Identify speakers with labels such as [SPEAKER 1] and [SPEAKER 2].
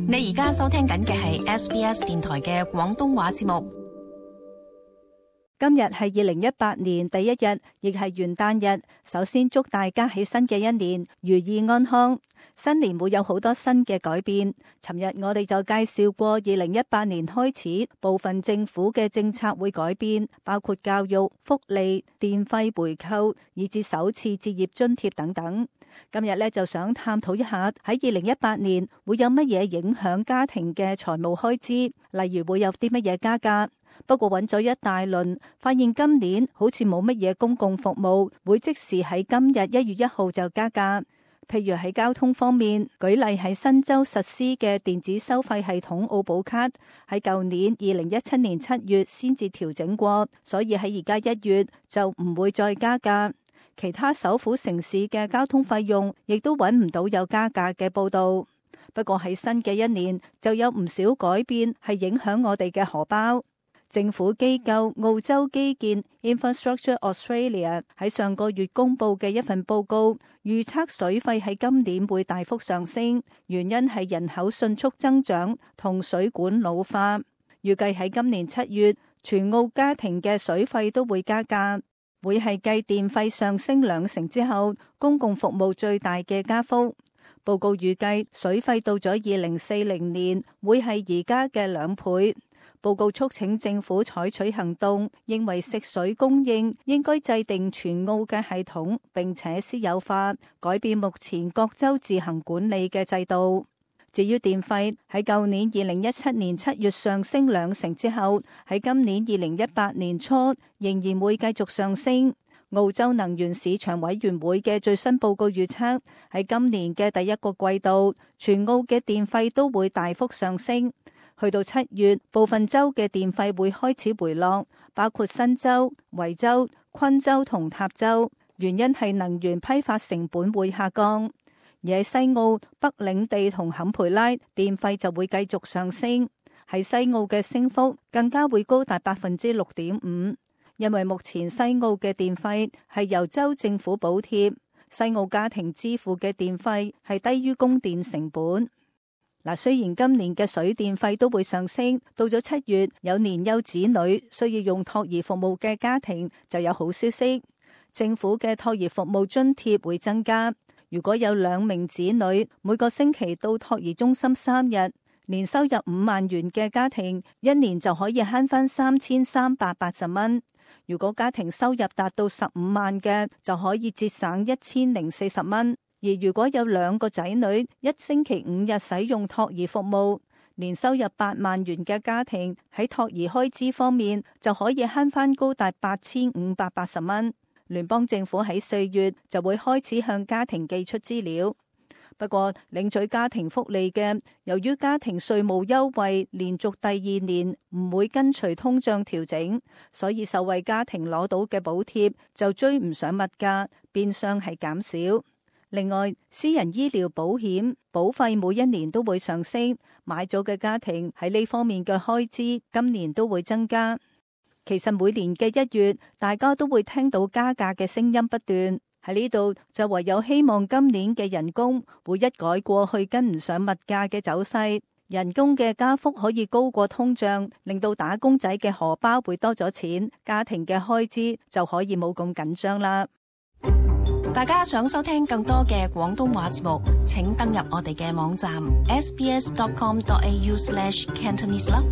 [SPEAKER 1] 你而家收聽緊嘅係 SBS 電台嘅廣東話節目。
[SPEAKER 2] 今日係2018年第一日，亦係元旦日。首先祝大家喺新嘅一年如意安康。新年會有好多新嘅改變。尋日我哋就介紹過2018年開始，部分政府嘅政策會改變，包括教育、福利、電費回扣，以至首次置業津貼等等。今日呢，就想探討一下喺2018年會有乜嘢影響家庭嘅財務開支，例如會有啲乜嘢加價。不過揾咗一大輪，發現今年好似冇乜嘢公共服務會即時喺今日1月1號就加價。譬如喺交通方面，舉例喺新州實施嘅電子收費系統澳寶卡，喺舊年2017年7月先至調整過，所以喺而家1月就唔會再加價。其他首府城市嘅交通費用亦都揾唔到有加價嘅報導。不過喺新嘅一年就有唔少改變係影響我哋嘅荷包。政府機構澳洲基建 Infrastructure Australia 喺上個月公布嘅一份報告，預測水費喺今年會大幅上升，原因係人口迅速增長同水管老化。預計喺今年7月，全澳家庭嘅水費都會加價，會係繼電費上升2成之後，公共服務最大嘅加幅。報告預計水費到咗2040年會係而家嘅2倍。報告促請政府採取行動，認為食水供應應該制定全澳嘅系統，並且私有化，改變目前各州自行管理嘅制度。至於電費，喺舊年2017年7月上升2成之後，喺今年2018年初仍然會繼續上升。澳洲能源市場委員會嘅最新報告預測，喺今年嘅第一個季度，全澳嘅電費都會大幅上升。去到7月，部分州嘅電費會開始回落，包括新州、維州、昆州同塔州。原因係能源批發成本會下降。而喺西澳、北領地同坎培拉，電費就會繼續上升。喺西澳嘅升幅更加會高達6.5%，因為目前西澳嘅電費係由州政府補貼，西澳家庭支付嘅電費係低於供電成本。嗱，雖然今年嘅水電費都會上升，到咗7月，有年幼子女需要用托兒服務嘅家庭就有好消息，政府嘅托兒服務津貼會增加。如果有2名子女，每個星期到托兒中心3日，年收入5萬元嘅家庭，一年就可以慳翻3380蚊。如果家庭收入達到15萬嘅，就可以節省1040蚊。而如果有2個仔女，一星期5日使用托兒服務，年收入8萬元嘅家庭喺托兒開支方面就可以慳翻高達8580蚊。聯邦政府喺4月就會開始向家庭寄出資料。不過領取家庭福利嘅，由於家庭稅務優惠連續第2年唔會跟隨通脹調整，所以受惠家庭攞到嘅補貼就追唔上物價，變相係減少。另外，私人醫療保險保費每一年都會上升，買咗嘅家庭喺呢方面嘅開支今年都會增加。其實每年嘅1月，大家都會聽到加價嘅聲音不斷，喺呢度就唯有希望今年嘅人工會一改過去跟唔上物價嘅走勢，人工嘅加幅可以高過通脹，令到打工仔嘅荷包會多咗錢，家庭嘅開支就可以冇咁緊張啦。
[SPEAKER 1] 大家想收聽更多嘅廣東話節目，請登入我哋嘅網站 sbs.com.au/cantonese 啦。